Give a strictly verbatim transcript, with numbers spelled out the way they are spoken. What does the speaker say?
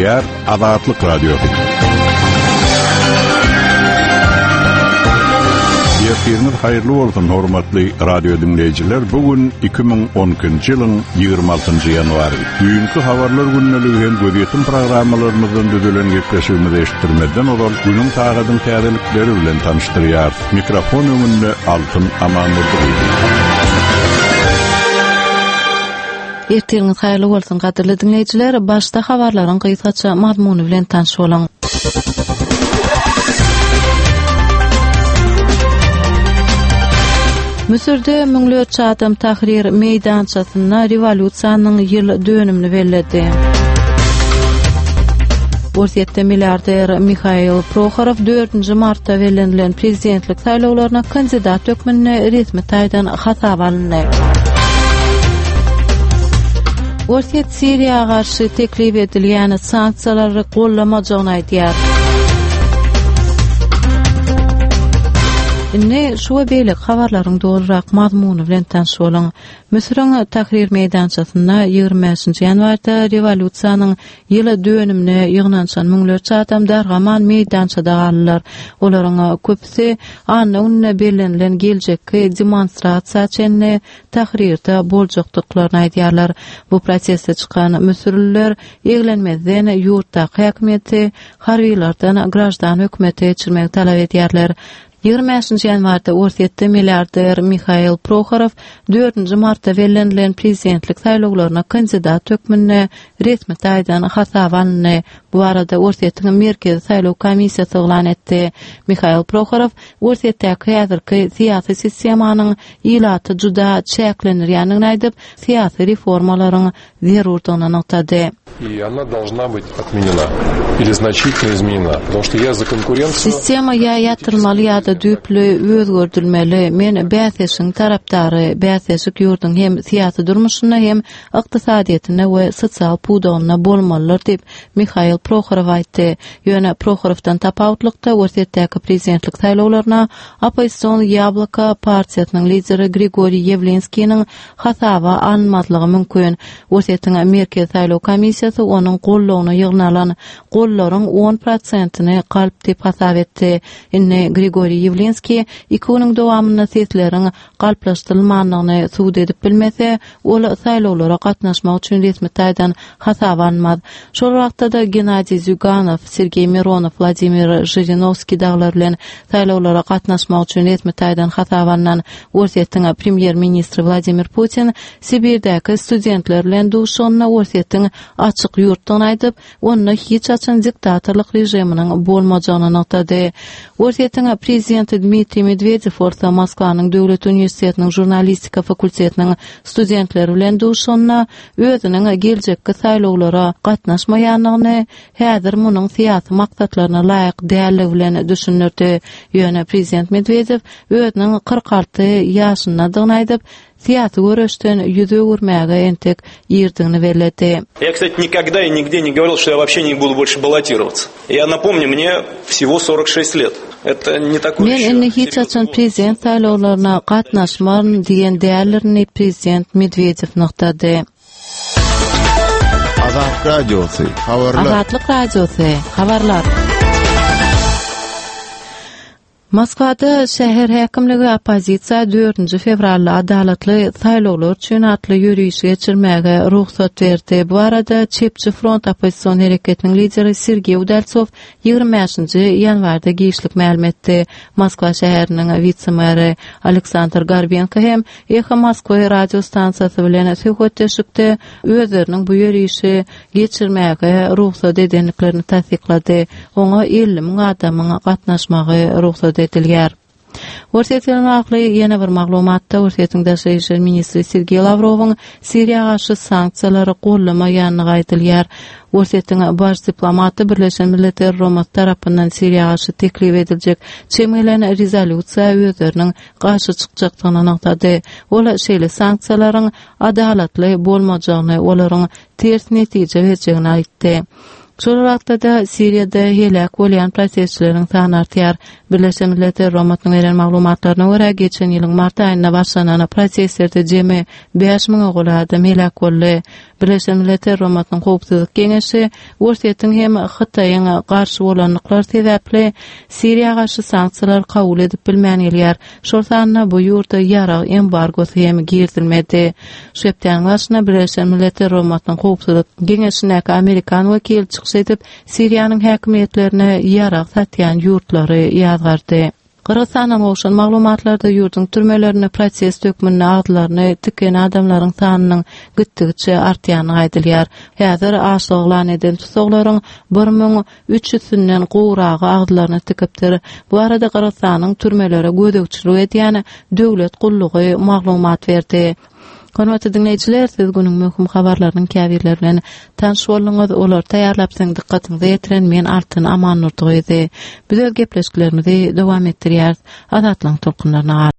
Gepleýär Azatlyk Radiosy. Ertiriňiz haýyrly bolsun, hormatly radio dinleýjiler. Bu gün iki müň on ikinji ýylyň ýigrimi altynjy ýanwary. Düýnki habarlar gündeligi hem gözýetim programmalarymyzdan düzülen gepleşigimizi eşitdirmezden ozal günüň sagadyň täzelikleri bilen tanyşdyrýarys. Mikrofon öňünde Altyn Amandurdyýew. Ertiriňiz haýyrly bolsun, gadyrly dinleýjiler. Başda habarlaryň gysgaça mazmuny bilen tanyş boluň. Müsürde müňlerçe adam Tahrir meýdançasynda rewolýusiýanyň ýyl dönümini belledi. Orsýetde milliarder Mihail Prohorow dördünji martda bellenilen prezidentlik saýlawlaryna kandidat hökmünde resmi taýdan hasaba alyndy. Orsýet Siriýa garşy teklip edilýän sanksiýalary gollamajagyny aýdýar. Indi şu we beýleki habarlaryň dolurak mazmuny bilen tanyş boluň. Müsüriň Tahrir meýdançasynda ýigrimi bäşinji ýanwarda rewolýusiýanyň ýyl dönümine ýygnanyşan müňlerçe adam dargaman meýdançada galdylar. Olaryň köpüsi anna gününe bellenilen geljekki demonstrasiýa çenli Tahrirde boljakdyklaryny aýdýarlar. Bu proteste çykan müsürliler eglenmezden ýurtdaky häkimiýeti harbylardan graždan hökümete geçirmegi talap edýärler. Ýigrimi bäşinji ýanwarda Orsýetde milliarder Mihail Prohorow dördünji martda bellenilen prezidentlik saýlawlaryna kandidat hökmünde resmi taýdan hasaba alyndy. Bu barada Orsýetiň Merkezi saýlaw komissiýasy yglan etdi. Mihail Prohorow Orsýetdäki häzirki syýasy sistemanyň ilaty juda çäklendirýändigini aýdyp, syýasy reformalaryň zerurdygyny nygtady. И она должна быть отменена или значительно изменена, потому что я за конкуренцию. Sistema ýa ýatyrmaly ýa-da düýpli özgerdilmeli. Men bäsleşigiň tarapdary, bäsleşik ýurduň hem syýasy durmuşynda hem ykdysadyýetinde we sosial pudagynda bolmalydyr diýip Mihail Prohorow aýtdy. Ýöne Prohorowdan tapawutlykda Orsýetdäki prezidentlik saýlawlaryna oppozision Ýabloko partiýasynyň lideri Grigoriý Ýewlinskiniň hasaba alynmazlygy mümkin. Orsýetiň Merkezi saýlaw komissiýasy onuň gollugyna ýygnalan gollaryň on prosentini galp diýip hasap etdi. Indi Grigoriý Ýewlinskiý iki günüň dowamynda sesleriň galplaşdyrylmandygyny subut edip bilmese, ol saýlawlara gatnaşmak üçin resmi taýdan hasaba alynmaz. Şol wagtda-da Gennadiý Zýuganow, Sergeý Mironow, Wladimir Žirinowskiý daglar bilen saýlawlara gatnaşmak üçin resmi taýdan hasaba alnan Orsýetiň premýer-ministri Wladimir Putin Sibirdäki studentler bilen duşuşygynda Orsýetiň açyk ýurtdygyny aýdyp, onda hiç haçan diktatorlyk režiminiň bolmajagyny nygtady. Orsýetiň prezidenti Dmitriý Medwedew bolsa Moskwanyň Döwlet uniwersitetiniň žurnalistika fakultetiniň studentleri bilen duşuşygynda özüniň geljekki saýlawlara gatnaşmaýandygyny, häzir munuň syýasy maksatlaryna laýyk dälligi bilen düşündirdi. Ýöne prezident Medwedew özüniň kyrk alty ýaşyndadygyny aýdyp, syýasy göreşden ýüz öwürmäge entek irdigini belledi. Я, кстати, никогда и нигде не говорил, что я вообще не буду больше баллотироваться. Я напомню, мне всего сорок шесть лет. Это не такой Men еще indi hiç серьезный haçan возраст. prezident saýlawlaryna gatnaşmaryn diýen däldirini prezident Medwedew nygtady. Azatlyk Radiosy, habarlar. Azatlyk Radiosy, habarlar. Moskwada şäher häkimligi oppozisiýa dördünji fewralda adalatly saýlawlar üçin atly ýörişi geçirmäge rugsat berdi. Bu arada Çepçi front oppozision hereketiniň lideri Sergey Udaltsov ýigrimi bäşinji ýanwarda giçlik mälim etdi. Moskwa şäheriniň witse-meri Aleksandr Gorbenko hem Eho Moskwa radio stansiýasy bilen söhbetdeşlikde özleriniň bu ýörişi geçirmäge rugsat edendiklerini tassyklady. Oňa elli müň adamyň gatnaşmagy rugsat edilýär. Orsýetiň agly ýene bir maglumatda Orsýetiň daşary işler ministri Sergey Lavrov'un Siriýa garşy sanksiýalary gollamaýandygy aýdylýar. Orsýetiň baş diplomaty Birleşen Milletler Guramasy tarapyndan Siriýa garşy teklip ediljek çemelen rezolýusiýa özleriniň garşy çykjakdygyny nygtady. Ol şeýle sanksiýalaryň adalatly bolmajagyny, olaryň ters netije berjegini aýtdy. Şol wagtda Siriýada helak bolýan protestçileriň sany artýar. Birleşen Milletler Guramasynyň beren maglumatlaryna görä, geçen ýylyň mart aýynda başlanan protestlerde jemi bäş müňe golaý adam helak boldy. Birleşen Milletler Guramasynyň Howpsuzlyk Geňeşi Orsýetiň hem Hytaýyň garşy bolandyklary sebäpli Siriýa garşy sanksiýalar kabul edip bilmän gelýär. Şol sanda bu ýurda ýarag embargosy hem girizilmedi. Şu hepdäniň başynda Birleşen Milletler Guramasynyň Howpsuzlyk Geňeşindäki Amerikan wekili çykyş edip, Siriýanyň häkimiýetlerine ýarag satýan ýurtlary ýazgardy. Gyrgyzystandan gowşan maglumatlarda ýurduň türmelerinde protest hökmünde agzlaryny tiken adamlaryň sanynyň gitdigiçe artýany aýdylýar. Häzir açlyk yglan eden tussaglaryň bir müň üç ýüzünden gowragy agzlaryny tikipdir. Bu arada Gyrgyzystanyň türmelere gözegçilik edýän döwlet gullugy maglumat berdi. Hormatly dinleýjiler, siz günüň möhüm habarlarynyň käbirleri bilen tanyş bolduňyz. Olar taýýarlap siziň dykgatyňyza ýetiren men Altyn Amannurdygyzy. Biz öz gepleşiklerimizi dowam etdirýäris. Azatlygyň tolkunlaryna.